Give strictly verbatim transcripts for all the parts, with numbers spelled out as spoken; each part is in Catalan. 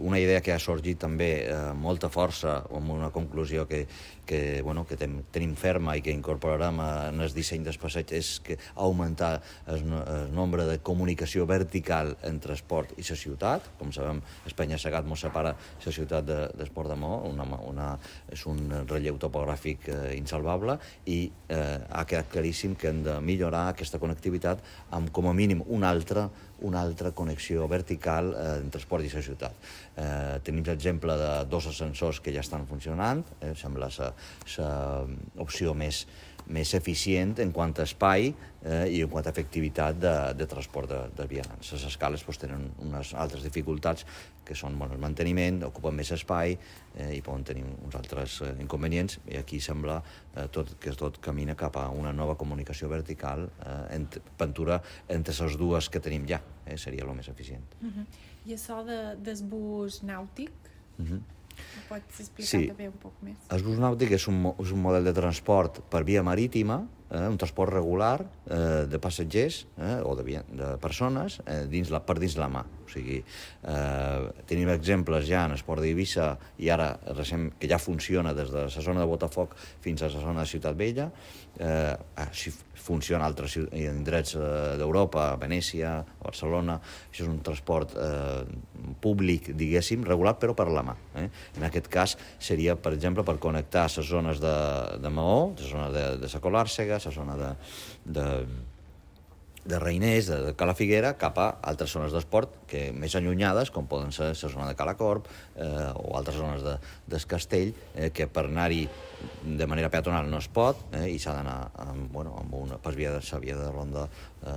una idea que ha sorgit també amb molta força, amb una conclusió que, que, bueno, que ten, tenim ferma i que incorporarem en el disseny del passeig, és que augmentar el, el nombre de comunicació vertical entre esport i la ciutat. Com sabem, Espanya Segat mos separa la ciutat de, d'Esport de Maó, una, una, és un relleu topogràfic eh, insalvable, i eh, ha quedat claríssim que hem de millorar aquesta connectivitat amb, com a mínim, una altra una altra connexió vertical eh, entre esport i la ciutat. Eh, tenim l'exemple de dos ascensors que ja estan funcionant, eh, sembla l'opció més, més eficient en quant a espai eh, i en quant a efectivitat de, de transport de, de vianants. Les escales pues, tenen unes altres dificultats, que són bueno, el manteniment, ocupen més espai eh, i poden tenir uns altres eh, inconvenients, i aquí sembla eh, tot, que tot camina cap a una nova comunicació vertical, eh, ent, pintura entre les dues que tenim ja, eh, seria el més eficient. Uh-huh. I això de, del bus nàutic? Uh-huh. Ho pots explicar sí. també un poc més? El bus nàutic és un, és un model de transport per via marítima, eh, un transport regular eh, de passatgers eh, o de, via, de persones eh, dins la, per dins la mà. O sigui, eh, tenim exemples ja en Esport d'Eivissa i ara recent, que ja funciona des de la zona de Botafoc fins a la zona de Ciutat Vella. Eh, així funciona a altres indrets eh, d'Europa, Venècia, Barcelona. Això és un transport eh, públic, diguéssim, regular, però per la mà. Eh? En aquest cas seria, per exemple, per connectar les zones de, de Maó, la zona de, de Sa Colàrsega, la zona de, de, de Reiners, de, de Cala Figuera, cap a altres zones d'esport que més allunyades, com poden ser la zona de Cala Corp eh, o altres zones de, del Castell, eh, que per anar-hi de manera peatonal no es pot eh, i s'ha d'anar amb, bueno, amb una, per via de, via de ronda eh,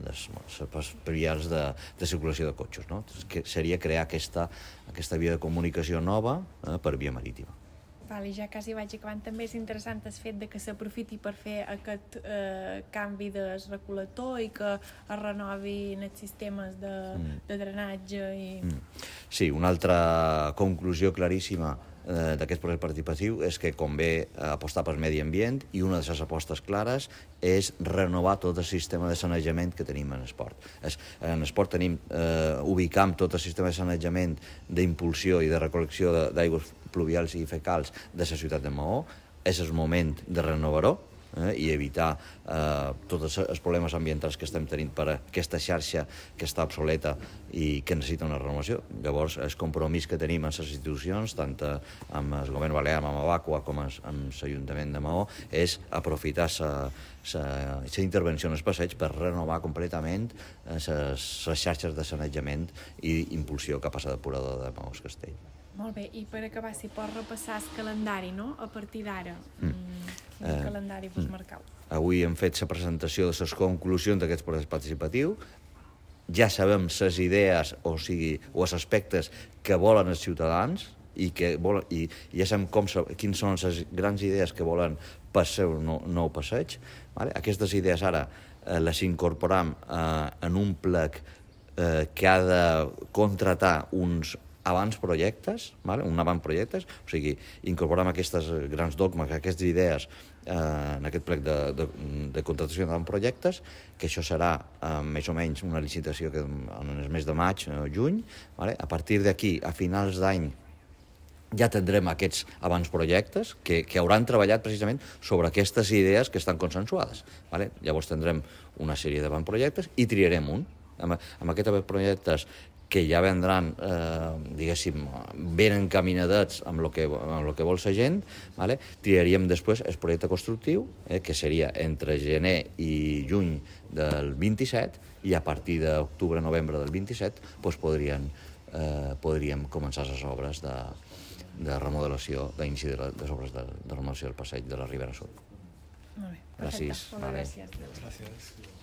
des, per vies de, de circulació de cotxes. No? Que seria crear aquesta, aquesta via de comunicació nova eh, per via marítima. Val, i ja quasi vaig acabant, també és interessant el fet de que s'aprofiti per fer aquest eh, canvi del recol·lector i que es renovin els sistemes de, mm. de drenatge. I... Mm. Sí, una altra conclusió claríssima eh, d'aquest procés participatiu és que convé apostar pel medi ambient, i una de les apostes clares és renovar tot el sistema de sanejament que tenim en esport. Es, en esport tenim, eh, ubicam tot el sistema de sanejament d'impulsió i de recol·lecció d'aigües pluvials i fecals de la ciutat de Maó. És el moment de renovar-ho eh, i evitar eh, tots els problemes ambientals que estem tenint per aquesta xarxa que està obsoleta i que necessita una renovació. Llavors, el compromís que tenim amb les institucions, tant amb el govern balear, amb Avacua, com amb l'Ajuntament de Maó, és aprofitar la intervenció en el passeig per renovar completament les xarxes de sanejament i impulsió cap a la depuradora de Maó-Castell. Molt bé, i per acabar, si pots repassar el calendari, no?, a partir d'ara. Mm. Quin eh, calendari vos mm. marcau? Avui hem fet la presentació de les conclusions d'aquest procés participatiu. Ja sabem les idees, o sigui, o els aspectes que volen els ciutadans, i, que volen, i, i ja sabem com, quines són les grans idees que volen per ser un nou, nou passeig. Vale? Aquestes idees ara eh, les incorporam eh, en un plec eh, que ha de contratar uns abans projectes, vale? un abans projectes, o sigui, incorporem aquestes grans dogmes, aquestes idees eh, en aquest plec de, de, de contratació d'abans projectes, que això serà eh, més o menys una licitació que en el mes de maig o juny. Vale? A partir d'aquí, a finals d'any, ja tindrem aquests abans projectes que, que hauran treballat precisament sobre aquestes idees que estan consensuades. Vale? Llavors tindrem una sèrie d'abans projectes i triarem un. Amb, amb aquests abans projectes que ja vendran, eh, diguéssim, ben encaminadets amb el que, amb el que vol la gent, vale? Triaríem després el projecte constructiu, eh, que seria entre gener i juny del vint-i-set, i a partir d'octubre-novembre del vint-i-set doncs podrien, eh, podríem començar les obres de, de remodelació, d'inici de les obres de, de remodelació del passeig de la Ribera Sud. Molt bé, Gràcies. Molt bé, gràcies. Gràcies.